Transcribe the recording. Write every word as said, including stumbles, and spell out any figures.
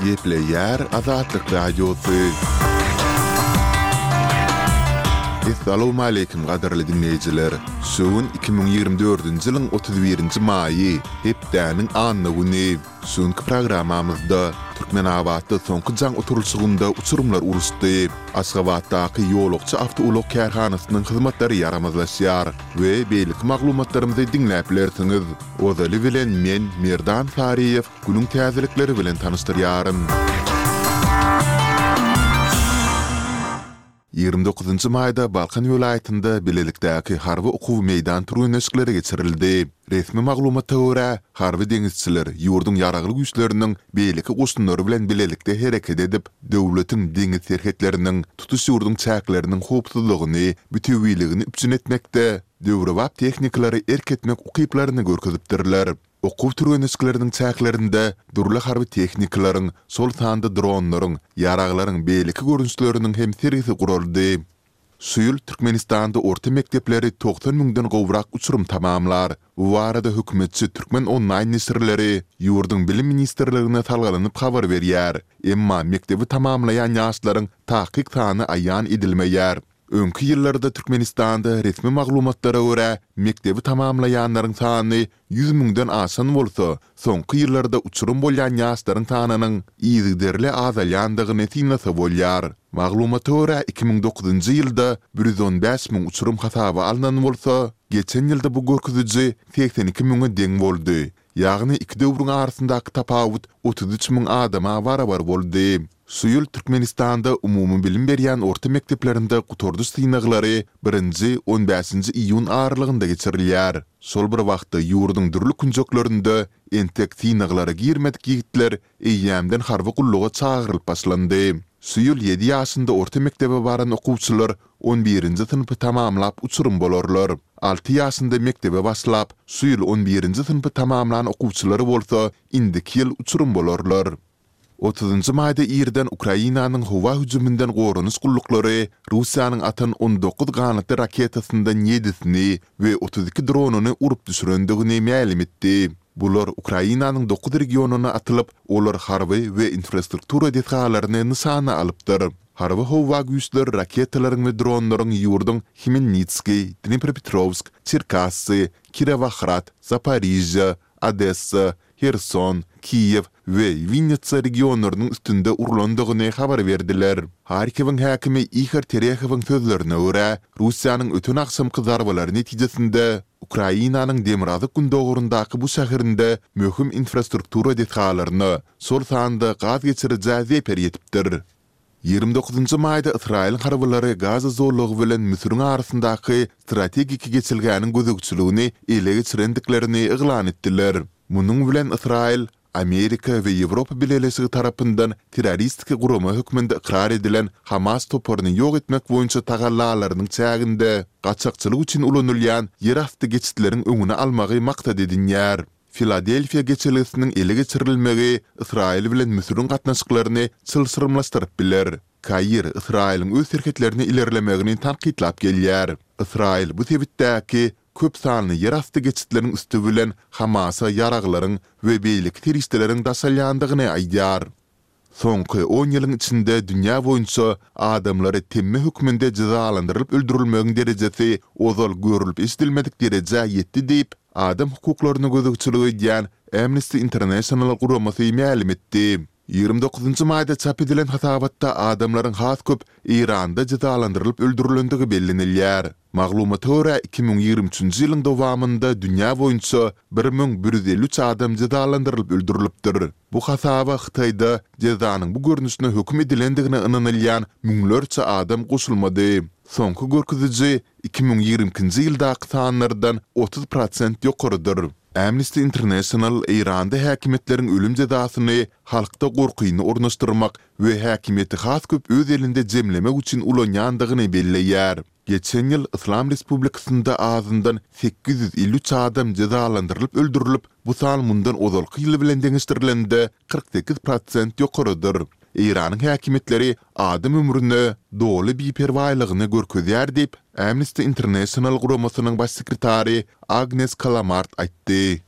Gepleýär Azatlyk Radiosy. Essalawmaleýkim gadyrly diňleýjiler! Şu gün iki müň ýigrimi dördünji ýylyň otuz birinji maýy, hepdäniň anna güni. Şu günki programmamyzda Türkmenabatda soňky jaň oturylyşygynda uçurymlar uruşdy, Aşgabatdaky ýolagçy awtoulag kärhanasynyň hyzmatlary ýaramazlaşýar we beýleki maglumatlarymyzy diňläp bilersiňiz. Ozaly bilen men, Merdan Saryýew, günüň täzelikleri bilen tanyşdyrýaryn. Ýigrimi dokuzynjy maýda Balkan welaýatynda bilelikdäki harby okuw meýdan türgenleşikleri geçirildi. Resmi maglumata görä, harby deňizçiler ýurduň Ýaragly Güýçleriniň beýleki goşunlary bilen bilelikde hereket edip, döwletiň deňiz serhetleriniň, tutuş ýurduň çäkleriniň howpsuzlygyny, bütewiligini üpjün etmekde döwrebap tehnikalara erk etmek ukyplaryny görkezipdirler. Okuw türgenleşikleriniň çäklerinde dürli harby tehnikalaryň, şol sanda dronlaryň, ýaraglaryň beýleki görnüşleriniň hem sergisi guraldy. Şu ýyl Türkmenistanda orta mekdepleri togsan müňden gowrak uçurym tamamlar. Bu barada hökümetçi Türkmen onlaýn neşirleri ýurduň Bilim ministrligine salgylanyp habar berýär. Emma mekdebi tamamlaýan ýaşlaryň takyk sany aýan edilmeýär. Öňki ýyllarda Türkmenistanda resmi maglumatlara görä, mekdebi tamamlaýanlaryň sany ýüz müňden aşan bolsa, soňky ýyllarda uçurym bolýan ýaşlaryň sanynyň yzygiderli azalýandygyny synlasa bolýar. Maglumata görä, iki müň dokuzynjy ýylda bir ýüz on bäş müň uçurym hasaba alnan bolsa, geçen ýylda bu görkeziji segsen iki müňe deň boldy. Ýagny iki döwrüň arasyndaky tapawut otuz üç müň adama barabar boldy. Şu ýyl Türkmenistanda umumybilim berýän orta mekdeplerinde gutardyş synaglary birinji, on bäşinji iýun aralygynda geçirilýär. Şol bir wagtda ýurduň dürli künjeklerinde entek synaglara girmedik ýigitler eýýämden harby gulluga çagyrylyp başlandy. Şu ýyl ýedi ýaşynda orta mekdebe baran okuwçylar on birinji synpy tamamlap uçurym bolarlar. Alty ýaşynda mekdebe başlap, şu ýyl on birinji synpy tamamlan okuwçylar bolsa indiki ýyl uçurym bolarlar. Otuzynjy maýda irden Ukrainanyň howa hüjüminden goranyş gulluklary Russiýanyň atan on dokuz ganatly raketasyndan ýedisini we otuz iki dronyny urup düşürendigini mälim etdi. Bular Ukrainanyň dokuz regionyna atylyp, olar harby we infrastruktura desgalaryny nyşana alypdyr. Harby-howa güýçler raketalaryň we dronlaryň ýurduň Hmelnitskiý, Dnipropetrowsk, Çerkassy, Kirowohrad, Zaporižýa, Odessa, Herson, Kiýew we Winnitsa regionlarynyň üstünde urlandygyny habar berdiler. Harkowyň häkimi Ihor Terehowyň sözlerine görä, Russiýanyň öten agşamky zarbalary netijesinde Ukrainanyň demirgazyk-gündogaryndaky bu şäherinde möhüm infrastruktura desgalaryna, şol sanda gaz geçirijä zeper ýetipdir. Ýigrimi dokuzynjy maýda Ysraýylyň harbylary Gaza zolagy bilen Müsüriň arasyndaky strategik geçelgäniň gözegçiligini ele geçirendiklerini yglan etdiler. Munuň bilen Ysraýyl Amerika we Ýewropa Bileleşigi tarapyndan terroristik gurama hökmünde ykrar edilen Hamas toparyny ýok etmek boýunça tagallalarynyň çäginde gaçakçylyk üçin ulanylýan ýerasty geçitleriň öňüni almagy maksat edinýär. Filadelfiýa geçelgesiniň ele geçirilmegi Ysraýyl bilen Müsüriň gatnaşyklaryny çylşyrymlaşdyryp biler. Kair Ysraýylyň öz serhetlerine ilerlemegini tankytlap gelýär. Ysraýyl bu sebitdäki köp sanly ýerasty geçitleriň üsti bilen Hamasa ýaraglaryň we beýleki serişdeleriň daşalýandygyny aýdýar. Soňky on ýylyň içinde dünýä boýunça adamlary temme hökmünde jezalandyrylyp öldürilmegiň derejesi ozal görlüp-eşidilmedik derejä ýetdi diýip, adam hukuklaryna gözegçilik edýän Amnesty International guramasy mälim etdi. Ýigrimi dokuzynjy maýda çap edilen hasabatda adamlaryň has köp Eýranda jezalandyrylyp öldürilendigi bellenilýär. Maglumata görä, iki müň ýigrimi üçünji ýylyň dowamynda dünýä boýunça bir müň bir ýüz elli üç adam jezalandyrylyp öldürilipdir. Bu hasaba Hytaýda jezanyň bu görnüşine höküm edilendigine ynanylýan müňlerçe adam goşulmady. Soňky görkeziji iki müň ýigrimi ikinji ýyldaky sanlardan otuz prosent ýokarydyr. Amnesty International Eýranda häkimiýetleriň ölüm jezasyny halkda gorkyny ornaşdyrmak we häkimiýeti has köp öz elinde jemlemek üçin ulanýandygyny belleýär. Geçen ýyl Yslam Respublikasynda azyndan sekiz ýüz elli üç adam jezalandyrylyp öldürilip, bu san mundan ozalky ýyl bilen deňeşdirilende kyrk sekiz prosent ýokarydyr. Eýranyň häkimiýetleri adam ömrüne doly biperwaýlygyny görkezýär diýip, Amnesty International guramasynyň baş sekretary Agnes Kalamard aýtdy.